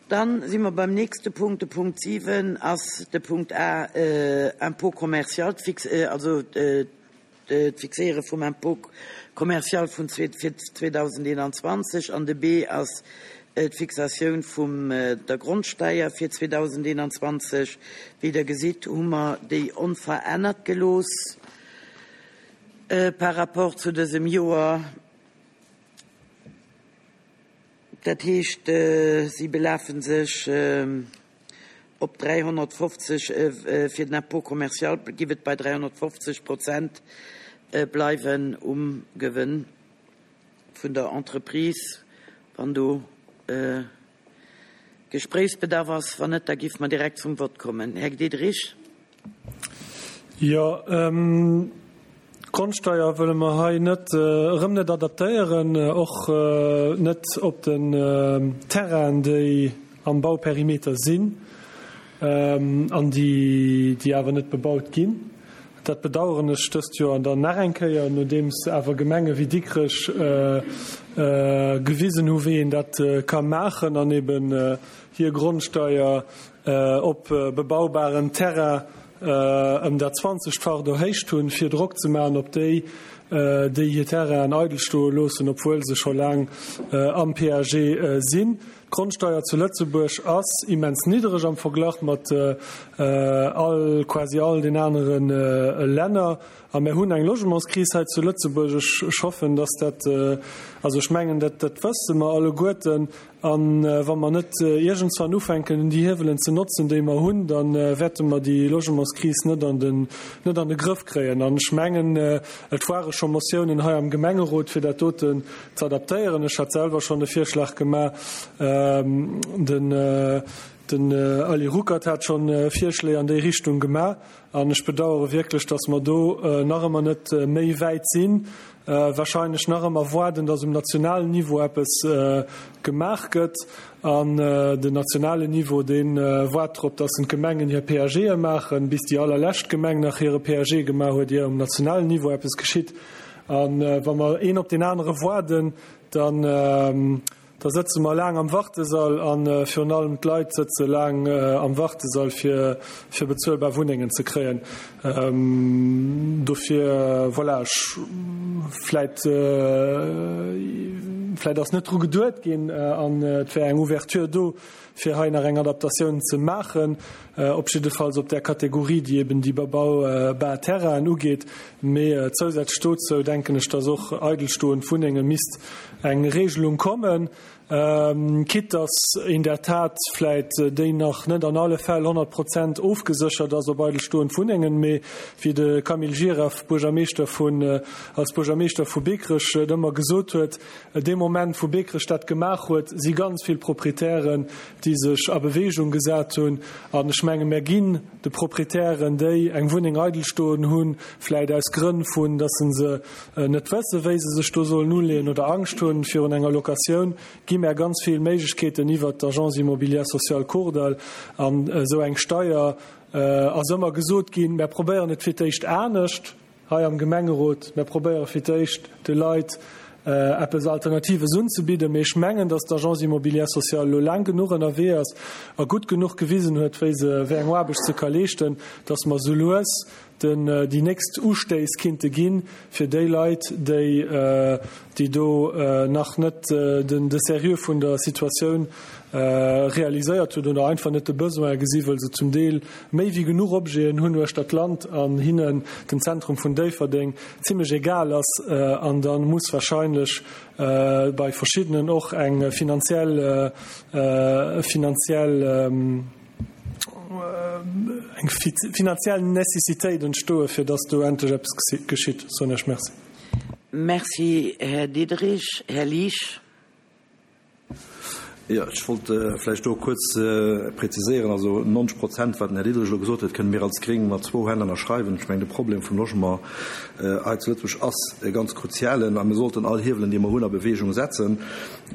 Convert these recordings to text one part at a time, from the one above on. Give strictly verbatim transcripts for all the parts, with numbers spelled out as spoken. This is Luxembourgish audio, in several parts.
Dann si mer beim nächste Punkt. De Punkt siwen ass de Punkt A, äh, Impôt commercial, fix, äh, also äh, d'Fixéiere vum Impôt commercial vun fir zweedausendeenanzwanzeg, an de B ass d'Fixatioun vum der Grondsteier fir zweedausendeenanzwanzeg. Wéi Der gesitt, hu mer déi onverännert gelooss äh, par rapport zu dësem Joer. Dat heescht, äh, si belafe sech äh, op dräihonnertfofzeg, äh, fir den Impôt commercial giff et bei dräihonnertfofzeg Prozent äh, bleiwen um Gewënn vun der Entreprise. Wann do äh, Gespréichsbedarf ass, wann net, da giff mer direkt zum Vott kommen. Här Diderich. Jo, ähm, Grondsteier wëlle mer hei net äh, erëm net adaptéieren, och äh, net op den äh, Terrain, déi am Bauperimeter sinn ähm, an déi, déi awer net bebaut ginn. Dat bedaueren ech dëst Joer an dann nach eng Kéier, nodeems awer Gemenge wéi Dikrech äh, äh, gewisen hu wéi een dat äh, ka maachen an eben äh, hir Grondsteier äh, op äh, bebaubaren Terrain äh, ëm dat zwanzegfacht erhéicht hunn, fir Drock ze maachen op déi, äh, déi hir Terrainen eidel stoe loossen, obwuel se scho laang äh, am P A G äh, sinn. D'Grondsteier zu Lëtzebuerg ass immens niddereg am Verglach mat äh, all quasi all den aneren äh, Länner. A mir hunn eng Logementskris hei zu Lëtzebuerg. Ech hoffen, dass dat äh, also ech mengen, dat dat wësse mer alleguerten, an äh, wa mer net äh, iergendwann ufänken, déi Hiewelen ze notzen, déi mer hunn, dann äh, wäerte mer déi Logementskris net an den net an de Grëff kréien. An ech mengen, äh, et ware scho Motiounen hei am Gemengerot, fir dat doten ze adaptéieren. Ech hat selwer schonn de Virschlag gemaach, ähm, den äh, den äh, Ali Ruckert hat schonn äh, Virschléi an déi Richtung gemaach, an ech bedauere wierklech, dass mer do äh, nach ëmmer net äh, méi wäit sinn, äh, warscheinlech nach ëmmer waarden, dass um nationalen Niveau eppes äh, gemaach gëtt, an äh, den nationalen Niveau, deen äh, waart drop, dass d'Gemengen hir P A G maachen, bis déi allerlescht Gemeng nach hire P A G gemaach huet, ier um nationalen Niveau eppes geschitt. An äh, wa mer een op den anere waarden, dann äh, da sëtze mer laang am Wartesall, an äh, virun allem d'Leit sëtze laang äh, am Wartesall, fir fir bezuelbar Wunnengen ze kréien. Ähm, dofir voilà, ech, vläicht äh, vläicht ass net dru geduecht ginn äh, an äh, et wär eng Ouverture do, fir hei nach eng Adaptatioun ze maachen, äh, op jiddefalls op der Kategorie, déi eben déi bebaubar Terrainen ugeet, mee äh, zousätzlech dozou denken ech, dass och eidelstoend Wunnenge misst eng Regelung kommen, ähm, quitte dass in der Tat vläicht äh, déi nach net an alle Fäll honnert Prozent ofgeséchert ass op eidelstoend Wunnengen, mee wéi de Camille Gira, Buergermeeschter vun äh, als Buergermeeschter vu Biekerech äh, ëmmer gesot huet, äh, dee Moment, wou Biekerech dat gemaach huet, si ganz vill Proprietären, déi sech a Beweegung gesat hunn, an ech menge mir ginn de Proprietären, déi eng Wunneng eidel stoen hunn, vläicht aus Grënn vun, dass se äh, net wësse, wéi se sech do sollen uleeën oder Angscht hunn virun enger Locatioun, gi mer ganz vill Méiglechkeeten iwwer d'Agence immobilière sociale Kordall. An äh, sou eng Steier äh, ass ëmmer gesot ginn, mer probéieren et fir d'éischt anescht hei am Gemengerot, mer probéiere fir d'éischt de Leit äh, eppes Alternatives unzebidden, mee ech mengen, dass d'Agence immobilière sociale lo laang genuch ënnerwee ass a gutt genuch gewisen huet, wéi se wéi eng Aarbecht ze ka leeschten, dass mer sou lues den äh, déi nächst Ustéiss kinnte ginn fir déi Leit, déi äh, déi do äh, nach net äh, den de Seriö vun der Situatioun äh, realiséiert hunn oder einfach net de Besoin gesinn, well se zum Deel méi wéi genuch Objeten hunn uechter d'Land an hinnen den Zentrum vun Déifferdeng zimmlech egal ass, äh, an dann muss warscheinlech äh, bei verschiddenen och eng finanziell äh, äh, finanziell ähm, eng finanziell Necessitéit entstoe, fir dass do endlech eppes geschitt. Soen ech Merci. Merci, Här Diderich. Här Liesch. Jo, ech wollt äh, vläicht do kuerz äh, präziséieren, also neunzeg Prozent, wat den Här Diderich gesot huet, kënne mir als Gréng mat zwou Hänn ënnerschreiwen. Ech mengen, de Problem vum Logement äh, hei zu Lëtzebuerg ass e ganz kruzialen a mir sollten all Hiewelen, déi mer hunn, a Beweegung setzen.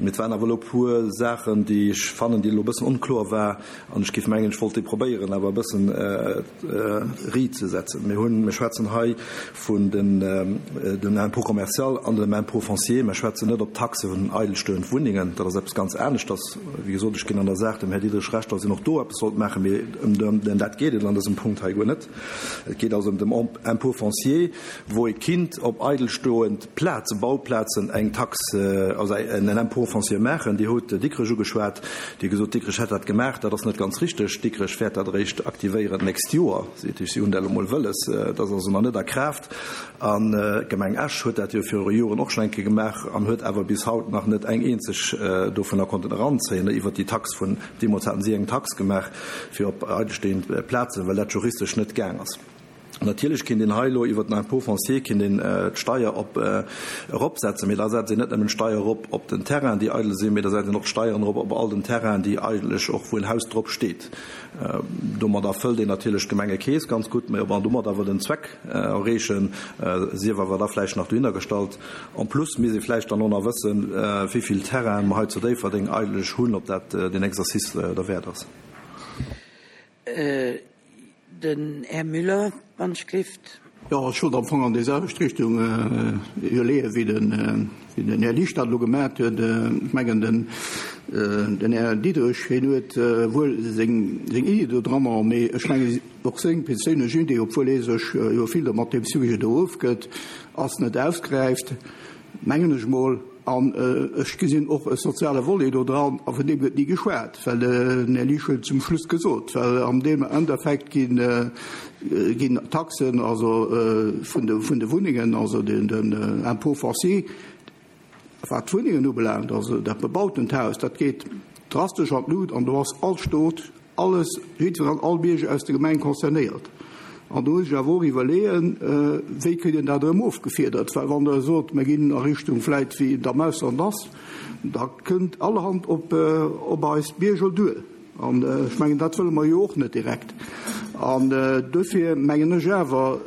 Mee et waren awer elo e puer Saachen, déi ech fannen, déi elo e bëssen onkloer war, an ech géif mengen, ech wollt déi probéieren awer e bëssen riit ze setzen. Mir hunn, mir schwätzen hei vun den, dem Impôt commercial an dem Impôt foncier. Mir schwätzen net op Taxe vun eidelstoend Wunnengen. Dat ass eppes ganz aneschters. Wéi gesot, ech ginn an der Saach dem Här Diderich Recht, datt een och do eppes sollt maachen, mee ëm dat geet et an dësem Punkt hei guer net. Et geet also ëm dem Impôt foncier, wou ee kinnt op eidelstoend Plazen, Bauplazen eng Taxe, also en Impôt foncier maachen. Dir hutt Dikrech ugeschwat. Dir hutt gesot, Dikrech hätt dat gemaach. Dat ass net ganz richteg. Dikrech wäert dat eréischt aktivéieren d'nächst Joer. Seet Iech, si hunn dat elo mol wëlles. Dat ass also nach net a Kraaft. An d'Gemeng Esch huet dat jo viru Joren och schonn eng Kéier gemaach an huet awer bis haut nach net eng eenzeg dovunner konnten eranzéien iwwert déi Tax vun, deemools haten si eng Tax gemaach fir op eidelstehend Plazen, well dat juristesch net gaang ass. Natierlech kinnt een hei elo iwwert den Impôt foncier kinnt een d'Steier op eropsetzen, mee da setzt een net nëmmen d'Steier erop op den Terrainen, déi eidel sinn, mee da setzt een och d'Steieren erop op all den Terrainen, déi eigentlech och, wou en Haus drop steet. Domadder fëllt een natierlech d'Gemengekeess ganz gutt, mee ob mer domadder awer den Zweck erreechen, sief awer da vläicht nach dohinner gestallt. En plus misst ee vläicht dann och nach wëssen, wéi vill Terrainen mer hei zu Déifferdeng eigentlech hunn, ob dat deen Exercice derwäert ass. Den Här Müller, wann ech gelift. Jo, ech wollt am Fong an déi selwecht Richtung iwwerleeën, wéi den, wéi den Här Liesch dat elo gemat huet. Ech mengen, den, den Här Diderich, hien huet wuel seng, seng Iddi do dranner, mee ech mengen, och seng perséinlech Idee, obwuel hie sech jo vill do mat deem Sujet do ofgëtt, ass net ausgeräift, mengen ech mol. An ech gesinn och e soziale Volet do dran, a vun deem gëtt ni geschwat, well den Här Liesch huet et zum Schluss gesot, well am deem Endeffekt ginn, ginn d'Taxen, also vun de, vun de Wunnengen, also den, den Impôt foncier, wat d'Wunnengen ubelaangt, also dat bebautent Haus, dat geet drastesch an d'Lut an do ass all Stot, alles, jiddwereen, all Bierger aus der Gemeng concernéiert. An do muss ech awer och iwwerleeën, wéi kritt een dat erëm ofgefiedert, well wann Der sot, mir ginn a Richtung vläit wéi et am Ausland ass, da kënnt allerhand op, op eis Bierger duer. An ech mengen, dat wëlle mer jo och net direkt. An duerfir mengen ech awer,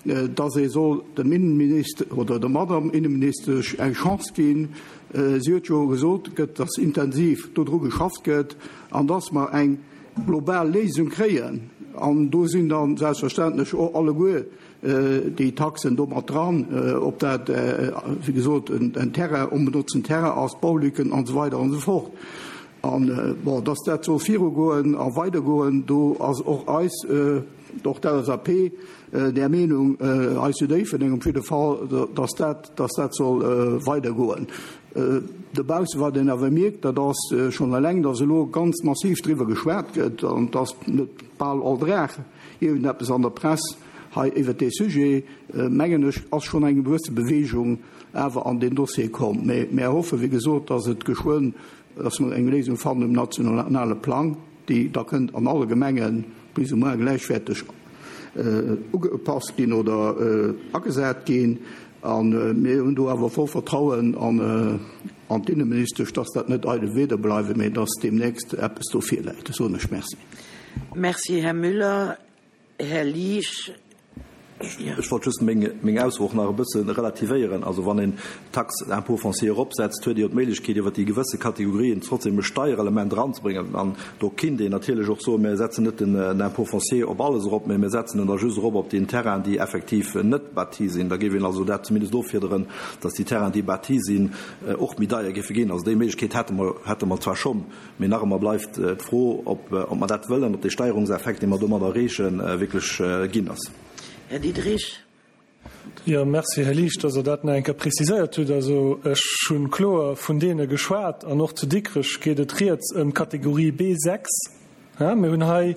dass ee soll dem Innenminister oder der Madame Innenministesch eng Chance ginn. Si huet jo gesot, gëtt, dass intensiv dodru geschafft gëtt an dass mer eng global Léisung kréien. An do sinn dann selbstverständlech och alleguer déi Taxen do mat dran, ob dat, wéi gesot, en Terrain, onbenotzten Terrain ass, Baulücken an esou weider an esou fort. An, bon, dass dat soll virugoen a weidergoen, do ass och eis, och d'L S A P där Meenung, eis zu Déifferdeng op jidde Fall, dass dat, dass dat soll weidergoen. Dobausse, wat een awer mierkt, dat ass schonn eleng, dass elo ganz massiv driwwer geschwat gëtt an dass net bal all Dag iergendeppes an der Press hei iwwert dee Sujet, mengen ech, ass schonn eng gewësse Bewegung awer an deen Dossier komm. Mee mir hoffen, wéi gesot, dass et geschwënn, dass mer eng Léisung fannen um nationale Plang, déi da kënnt an alle Gemenge plus ou moins gläichwäerteg ugepasst ginn oder agesat ginn. An mir hunn do awer voll Vertrauen an, an d'Inneministesch, dass dat net eidel Wieder bleiwen, mee dass deemnächst eppes do virläit. Das soen ech. Merci. Merci, Här Müller. Här Liesch. Ech wollt just meng, meng Ausso och nach e bësse relativéieren. Also wann een d'Taxe d'impôt foncier eropsetzt, huet Dir jo d'Méiglechkeet, iwwer déi gewësse Kategorien trotzdem e Steierelement eranzebréngen. An do kinnt een natierlech och soen, mir setzen net den, den Impôt foncier op alles erop, mee mir setzen en da just erop op den Terrain, déi effektiv net bâti sinn. Da géif een also dat zumindest offiederen, dass déi Terrain, déi bâti sinn, och méi deier géife ginn. Also déi Méiglechkeet hätte mer, hätte mer zwar schonn, mee nach ëmmer bleift d'Fro, ob, ob mer dat wëllen, ob dee Steierungseffekt, dee mer domadder erreechen, wierklech ginn ass. Här Diderich. Jo, merci, Här Liesch, dass Der dat nach eng Kéier preziséiert hutt. Also ech hunn kloer vun deene geschwat an och zu Dikrech geet et rieds ëm d'Kategorie B sechs. Ja, mir hunn hei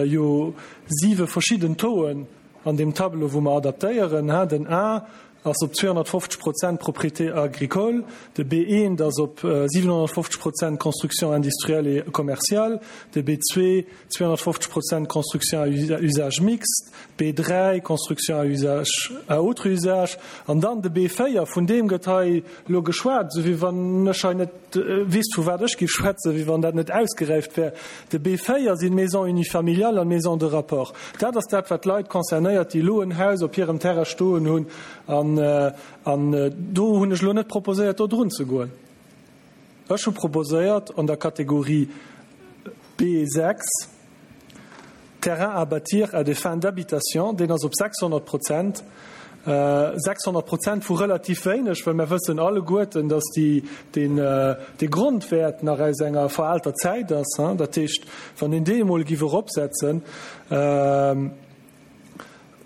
jo siwe verschidden Tauxen an deem Tableau, wou mer adaptéieren. Ha, den A ass op zweehonnertfofzeg Prozent Propriété agricole, de B eent ass op siewenhonnertfofzeg Prozent Construction industrielle et commerciale, de B zwee zweehonnertfofzeg Prozent Construction à usage mixte, B dräi Construction à usage, à autre usage, an dann de B véier, vun deem gëtt hei elo geschwat, esou wéi wann ech hei net wéisst, vu wat ech géif schwätzen, wéi wann dat net ausgeräift wär. De B véier sinn Maisons unifamiliales an Maisons de rapport. Dat ass dat, wat d'Leit concernéiert, déi elo en Haus op hirem Terrain stoen hunn. An, an do hunn ech elo net proposéiert, do drun ze goen. Ech hu proposéiert an der Kategorie B sechs, Terrain à bâtir à des fins d'habitation, deen ass op sechshonnert Prozent. sechshonnert Prozent vu relativ wéineg, well mir wëssen alleguerten, dass déi, deen, dee Grondwäert nach aus enger veraalter Zäit ass. Dat heescht, wann een dee emol giff eropsetzen,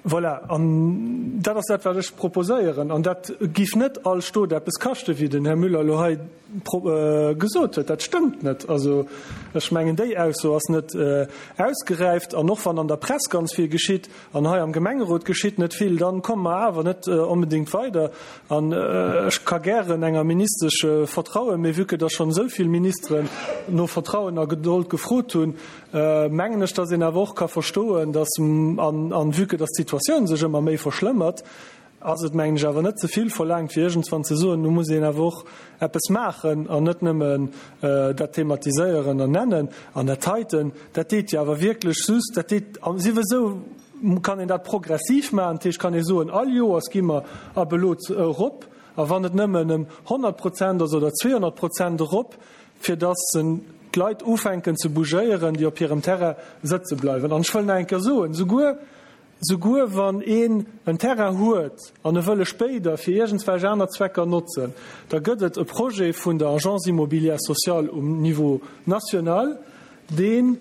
voilà, an dat ass dat, wat ech proposéieren. An dat giff net all Stot eppes kaschten, wéi den Här Müller elo hei gesot huet. Dat stëmmt net. Also ech mengen, déi Ausso ass net ausgeräift. An och wann an der Press ganz vill geschitt an hei am Gemengerot geschitt net vill, dann komme mer awer net onbedéngt weider. An ech ka gären enger Ministesch vertrauen, mee vue que der schonn esou vill Ministeren no Vertrauen a Gedold gefrot hunn, mengen ech, dass een awer och ka verstoen, dass, an vue que dass d'Situatioun sech ëmmer méi verschlëmmert, ass et, mengen ech, awer net ze vill verlaangt, fir iergendswann ze soen, nu muss een awer och eppes maachen an net nëmmen dat thematiséieren an nennen. An dat heiten, dat deet jo awer wierklech just, dat deet, souwisou kann een dat progressiv maachen, dat heescht, kann ee soen, all Joers gi mer ab elo erop, a wann et nëmmen ëm honnert Prozent ass oder zweehonnert Prozent erop, fir dass d'Leit ufänken ze bougéieren, déi op hirem Terrain sëtze bleiwen. An ech wëll nach eng Kéier soen, souguer, souguer wann een en Terrain huet an e wëll e spéider fir iergendswelch aner Zwecker notzen, da gëtt et e Projet vun der Agence immobilière sociale um Niveau national, dee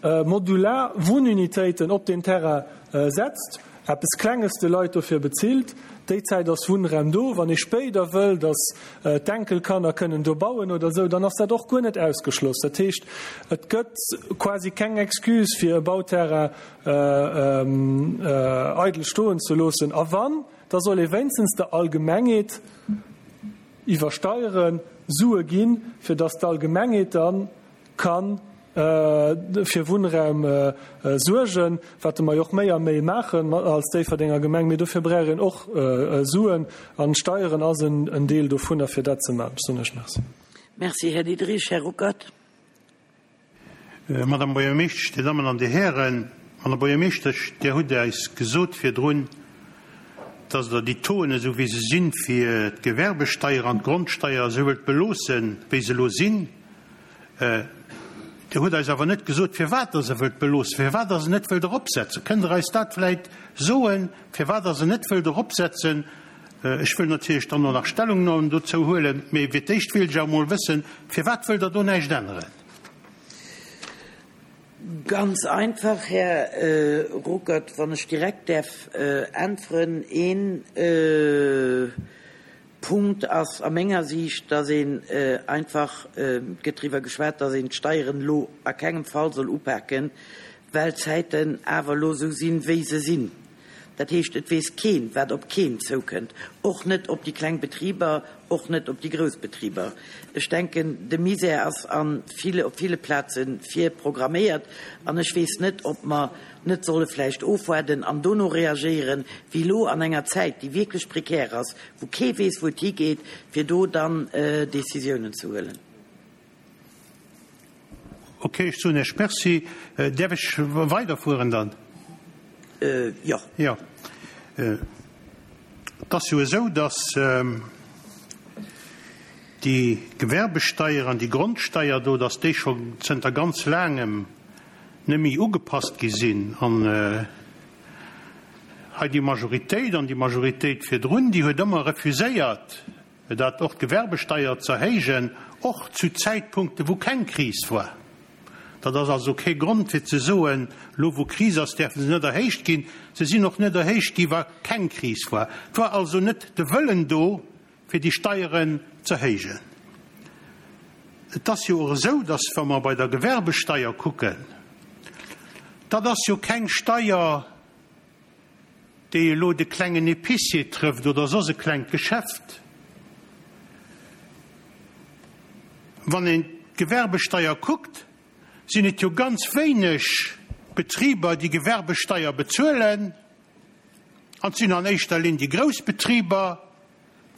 modular Wunnunitéiten op deen Terrain setzt, eppes Klenges de Leit dofir bezilt. Déi Zäit ass Wunnraum do. Wann ee spéider wëll, datt d'Enkelkanner kënnen do bauen oder esou, dann ass dat och guer net ausgeschloss. Dat heescht, et gëtt quasi keng Excuse, fir e Bauterrain eidel stoen ze loossen. A wann, da soll ee wéinstens der Allgemengheet iwwer Steiere Sue ginn, fir datt d'Allgemengheet dann kann fir Wunnraum suergen, wat mer jo och méi a méi maachen als Déifferdenger Gemeng, mee dofir brauch een och Suen an Steieren ass en Deel dovunner, fir dat ze maachen. Ech soen Iech Merci. Merci, Här Diderich. Här Ruckert. Madame Buergermeeschtesch, Dir Dammen an Dir Hären, Madame Buergermeeschtesch, Dir hutt eis gesot virdrun, dass Der déi Tauxen, esou wéi se sinn, fir d'Gewerbesteier an d'Grondsteier esou wëllt beloossen, wéi se elo sinn. Dir hutt eis awer net gesot, firwat Der se wëllt beloossen, firwat Der se net wëllt eropsetzen. Kënnt Der eis dat vläicht soen, firwat Der se net wëllt eropsetzen? Ech wëll natierlech dann och nach Stellungnahmen dozou huelen, mee fir d'éischt wéilt ech awer emol wëssen, firwat wëllt Der do näischt änneren? Ganz einfach, Här Ruckert, wann ech direkt däerf äntweren. Een Punkt ass a menger Siicht, dass een einfach, et gëtt driwwer geschwat, dass een d'Steieren elo a kengem Fall soll upaken, well d'Zäiten awer elo esou sinn, wéi se sinn. Dat heescht, et weess keen, wat op keen zoukënnt, och net op déi kleng Betriber, och net op déi grouss Betriber. Ech denken, de Misär ass a ville, op ville Plaze virprogramméiert an ech weess net, ob mer net solle vläicht ofwaarden an dono reagéieren, wéi elo an enger Zäit, déi wierklech prekär ass, wou kee weess, wou et higeet, fir do dann Décisiounen ze huelen. Ok, ech soen Iech Merci. Däerf ech weiderfueren dann? Jo. Jo. Et ass jo esou, dass déi Gewerbesteier an déi Grondsteier do, dass déi scho zënter ganz laangem net méi ugepasst gi sinn. An hei déi Majoritéit an déi Majoritéit virdrun, déi huet ëmmer refuséiert, dat och d'Gewerbesteier ze erhéijen, och zu Zäitpunkte wou keng Kris war. Dat ass also kee Grond fir ze soen, elo wou Kris ass, däerfe se net erhéicht ginn. Se sinn och net erhéicht gi wa keng Kris war. Et war also net de Wëllen do, fir déi Steieren ze erhéijen. Et ass jo och esou, datt wa mer bei der Gewerbesteier kucken, dat ass jo keng Steier, déi elo de klengen Épicier trëfft oder soss e klengt Geschäft. Wann een d'Gewerbesteier kuckt, sinn et jo ganz wéineg Betriber, déi Gewerbesteier bezuelen, an et sinn an éischter Linn déi grouss Betriber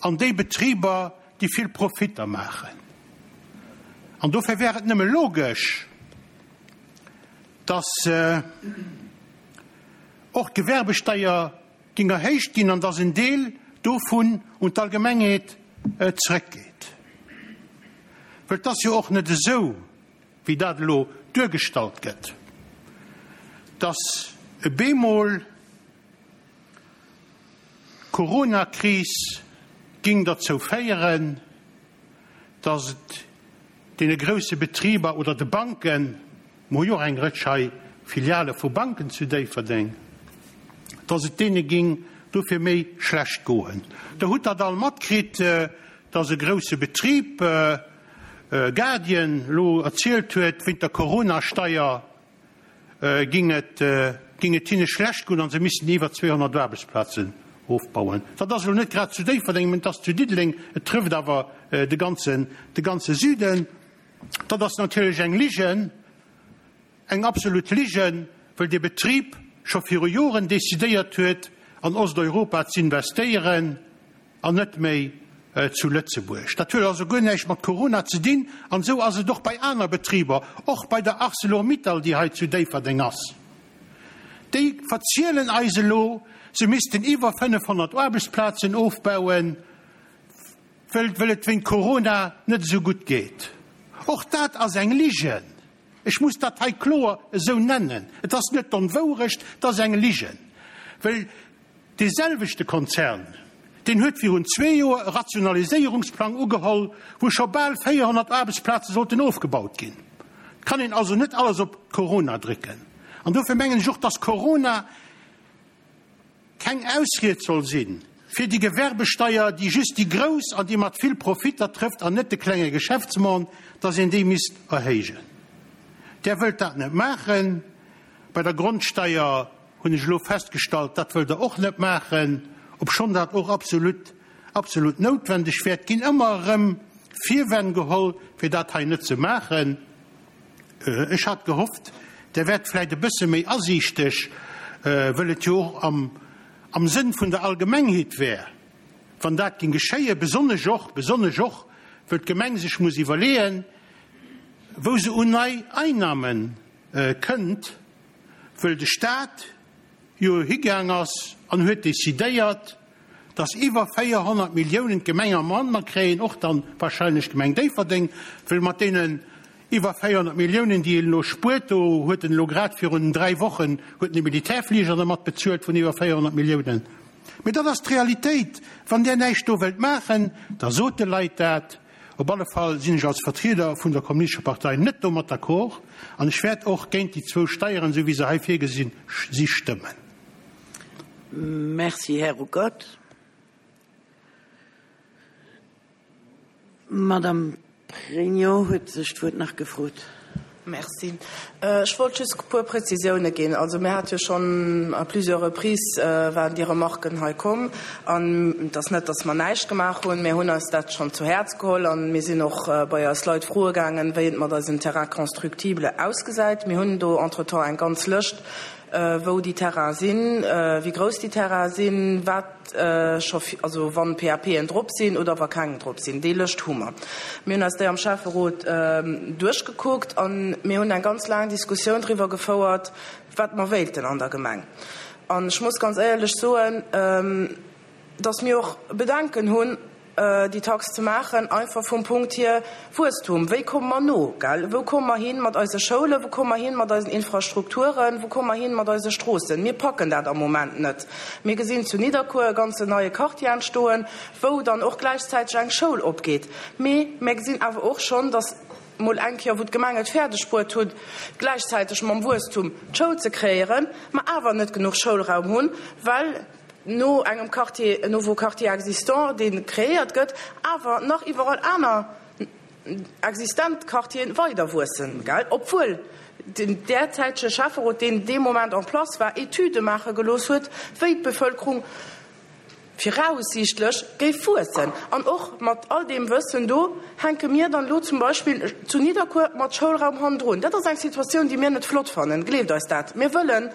an déi Betriber, déi vill Profitter maachen. An dofir wär et nëmme logesch, dass och d'Gewerbesteier géing erhéicht ginn an dass en Deel dovun un d'Allgemengheet zrëckgeet. Well et ass jo och net esou, wéi dat elo duergestallt gëtt, dass e bemol d'Coronakris géing derzou féieren, dass et deene grousse Betriber oder de Banken, mer hu jo och eng Rëtsch hei Filiale vu Banken zu Déifferdeng, dass et deene géing dofir méi schlecht goen. Der hutt dat all matkritt, dass e grousse Betrib, Guardian, elo erzielt huet, wéint der Coronasteier ging et, ging et hinne schlecht goen an se missten iwwer zweehonnert Aarbechtsplazen ofbauen. Dat ass elo net grad zu Déifferdeng, mä et ass zu Diddeleng, et trëfft awer de ganzen, de ganze Süden. Dat ass natierlech eng Ligen, eng absolut Ligen, wëll dee Betrib scho viru Joren decidéiert huet, an Osteuropa z'investéieren an net méi zu Lëtzebuerg. Dat huet also guer näischt mat Corona ze dinn. An esou ass et och bei aner Betriber, och bei der Arcelor-Mittal, déi hei zu Déifferdeng ass. Déi verzielen eis elo, se missten iwwer fënnefhonnert Aarbechtsplazen ofbauen, wëll wëll et wéint Corona net esou gutt geet. Och dat ass eng Ligen. Ech muss dat hei kloer esou nennen. Et ass net d'Onwourecht, et ass eng Ligen. Well dee selwechte Konzern, deen huet virun zwee Joer e Rationaliséierungsplang ugeholl, wou scho bal véierhonnert Aarbechtsplaze sollten ofgebaut ginn. Et kann een also net alles op Corona drécken. An dofir mengen ech och, dass Corona keng Ausried soll sinn fir déi Gewerbesteier, déi just déi Grouss an déi mat vill Profitter trëfft an net de klenge Geschäftsmann, dass een déi misst erhéijen. Där wëllt dat net maachen. Bei der Grondsteier hunn ech elo festgestallt, dat wëllt Der och net maachen, obschonn dat och absolut, absolut noutwendeg wär. Et ginn ëmmer erëm Virwänn geholl, fir dat hei net ze maachen. Ech hat gehofft, Der wäert vläicht e bësse méi asiichteg, wëll et jo och am, am Sënn vun der Allgemengheet wär, wann dat géing geschéien, besonnesch och, besonnesch och, wëll d'Gemeng sech muss iwwerleeën, wou se un nei Einnahme kënnt, wëll de Stat jo higaang ass an huet decidéiert, dass iwwer véierhonnert Milliounen d'Gemeng am Manner kréien, och dann wahrscheinlech d'Gemeng Déifferdeng, wëll mat deenen iwwer véierhonnert Milliounen, déi een elo spuert, do huet en elo grad virun dräi Wochen huet en e Militärfliger dermat bezuelt vun iwwer véierhonnert Milliounen. Mee dat ass d'Realitéit. Wann Där näischt do wëllt maachen, da sot de Leit dat. Op alle Fall sinn ech als Vertrieder vun der Kommunistescher Partei net domat d'accord an ech wäert och géint déi zwou Steieren, esou wéi se hei virgesinn si, stëmmen. Merci, Här Ruckert. D'Madame Pregno huet sech d'Wuert nach gefrot. Merci. Ech wollt just e puer Präzisioune ginn. Also mir hate jo schonn à plusieurs reprises waren déi Remarken hei komm. An et ass net, datt mer näischt gemaach hunn. Mir hunn eis dat schonn zu Häerz geholl a mir sinn och bei eis Leit froe gaangen, wéi et mat eisen Terrains constructibles ausgesäit. Mir hunn do entretemps eng ganz Lëscht, wou déi Terrainen sinn, wéi grouss déi Terrainen sinn, wat scho, also wann P A P'en drop sinn oder wa keng drop sinn. Déi Lëscht hu mer. Mir hunn eis déi am Schäfferot duerchgekuckt a mir hunn eng ganz laang Diskussioun driwwer gefouert, wat mer wéilten an der Gemeng. An ech muss ganz éierlech soen, dass mir och Bedenken hunn, déi Tax ze maachen, einfach vum Punkt hier Wuesstum. Wéi komme mer no, gell? Wou komme mer hin mat eise Schoulen? Wou komme mer hin mat eisen Infrastrukturen? Wou komme mer hin mat eise Stroossen? Mir packen dat am Moment net. Mir gesinn zu Nidderkuer e ganzen neie Quartier entstoen, wou dann och gläichzäiteg eng Schoul opgeet. Mee mir gesinn awer och schonn, dass mol eng Kéier, wou d'Gemeng et fäerdeg bruet huet, gläichzäiteg mam Wuesstum d'Schoul ze kreéieren, mer awer net genuch Schoulraum hunn, well no engem Quartier, nouveau quartier existant, dee kreéiert gëtt, awer nach iwwerall aner existent Quartieren weider wuessen, gell? Obwuel den derzäitege Schäfferot, deen dee Moment en place war, Etüde maache gelooss huet, wéi d'Bevölkerung viraussiichtlech géif wuessen. An och mat all deem Wëssen do hänke mir dann elo zum Beispill zu Nidderkuer mat Schoulraum hannendrun. Dat ass eng Situatioun, déi mir net flott fannen, gleeft eis dat. Mir wëllen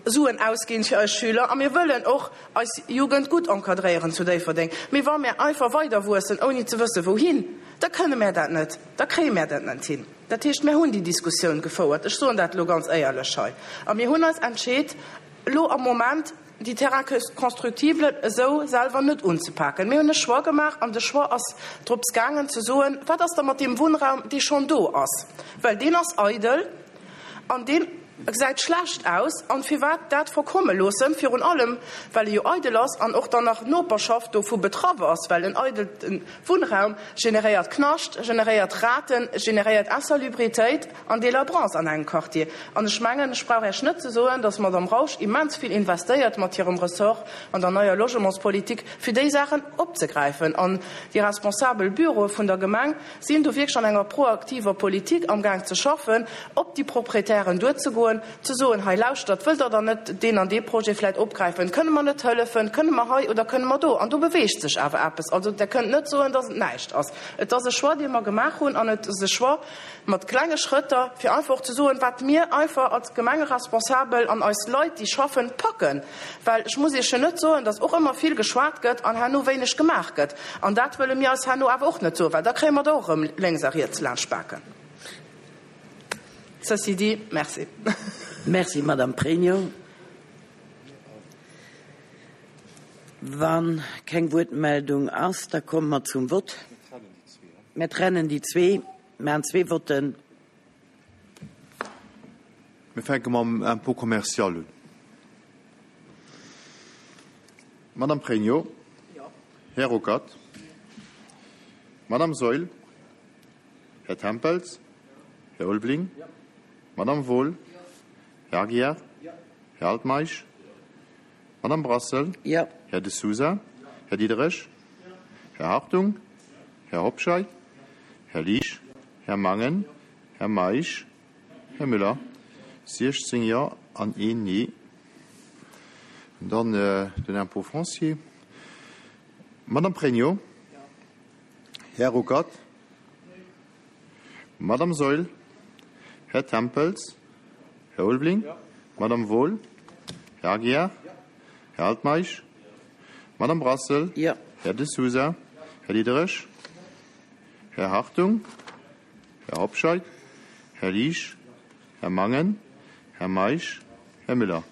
Suen ausginn fir eis Schüler a mir wëllen och eis Jugend gutt encadréieren zu Déifferdeng. Mee wa mir einfach weider wuessen, ouni ze wësse wouhin, da kënne mär dat net, da kréie mär dat net hin. Dat heescht, mär hunn déi Diskussioun gefouert, ech soen dat elo ganz éierlech hei, a mir hunn eis entscheet, elo am Moment déi Terrains constructibles esou selwer net unzepaken. Mir hunn e Choix gemaach an de Choix ass drops gaangen ze soen, wat ass da mat deem Wunnraum, dee schonn do ass, well deen ass eidel an deen gesäit schlecht aus an firwat dat verkomme loossen, virun allem well e jo eidel ass an och dann nach d'Noperschaft dovu betraff ass, well en eidele Wunnraum generéiert Knascht, generéiert Raten, generéiert Insalubritéit an Délabrance an engem Quartier. An ech mengen, ech brauch Iech net ze soen, dass d'Madame Rausch immens vill investéiert mat hirem Ressort an der neier Logementspolitik, fir déi Saachen opzegräifen. An déi responsabel Büroe vun der Gemeng sinn do wierklech an enger proaktiver Politik amgaang ze schaffen, op déi Proprietären duerzegoen, ze soen, hei lauschtert, wëllt Der dann net deen an dee Projet vläicht opgräifen, kënne mer net hëllefen, kënne mer hei oder kënne mer do? An do beweegt sech awer eppes. Also Der kënnt net soen, dass et näischt ass. Et ass e Choix, dee mer gemaach hunn, an et ass e Choix mat klenge Schrëtter, fir einfach och ze soen, wat mir einfach als Gemengeresponsabel an eis Leit, déi schaffen, packen. Well ech muss Iech jo net soen, dass och ëmmer vill geschwat gëtt an herno wéineg gemaach gëtt. An dat wëlle mir eis herno awer och net soen, well da kréie mer der och erëm lénks a riets laanscht d'Baken. Ceci dit, merci. Merci, Madame Pregno. Wa keng Wuertmeldung ass, da komme mer zum Vott. Mir trennen déi zwee, maachen zwee Votten. Mir fänke mam Impôt commercial un. Madame Pregno. Här Ruckert. Madame Saeul. Här Tempels. Här Ulveling. Madame Wohl. Här Aguiar. Här Altmeisch. Madame Brassel. Jo. Här De Sousa. Här Diderich. Här Hartung. Här Hobscheit. Här Liesch. Här Mangen. Här Meisch. Här Müller. siechzéng Jo an een Nee. Dann den Impôt foncier. Madame Pregno. Här Ruckert. Madame Saeul. Här Tempels. Här Ulveling. Madame Wohl. Här Aguiar. Här Altmeisch. Madame Brassel. Jo. Här De Sousa. Här Diderich. Här Hartung. Här Hobscheit. Här Liesch. Här Mangen. Här Meisch. Här Müller.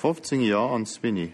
fofzéng Jo an zwee Nee.